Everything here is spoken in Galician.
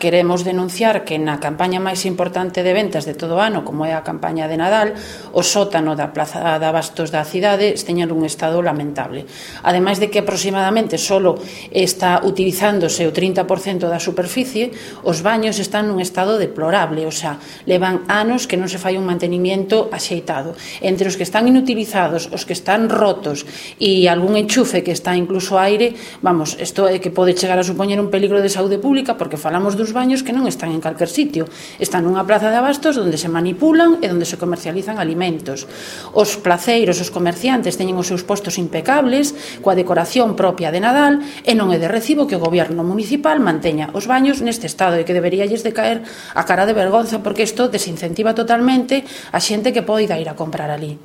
queremos denunciar que na campaña máis importante de ventas de todo o ano, como é a campaña de Nadal, o sótano da Plaza de Abastos da cidade teñen un estado lamentable. Ademais de que aproximadamente solo está utilizándose o 30% da superficie, os baños están nun estado deplorable, o sea, levan anos que non se fai un mantenimiento axeitado. Entre os que están inutilizados, os que están rotos e algún enchufe que está incluso aire, vamos, isto é que pode chegar a supoñer un peligro de saúde pública, porque falamos dos baños que non están en calquer sitio, están nunha plaza de abastos onde se manipulan e onde se comercializan alimentos. Os placeiros, os comerciantes teñen os seus postos impecables, coa decoración propia de Nadal, e non é de recibo que o goberno municipal manteña os baños neste estado e que deberíalles de caer a cara de vergonza, porque isto desincentiva totalmente a xente que poida ir a comprar ali.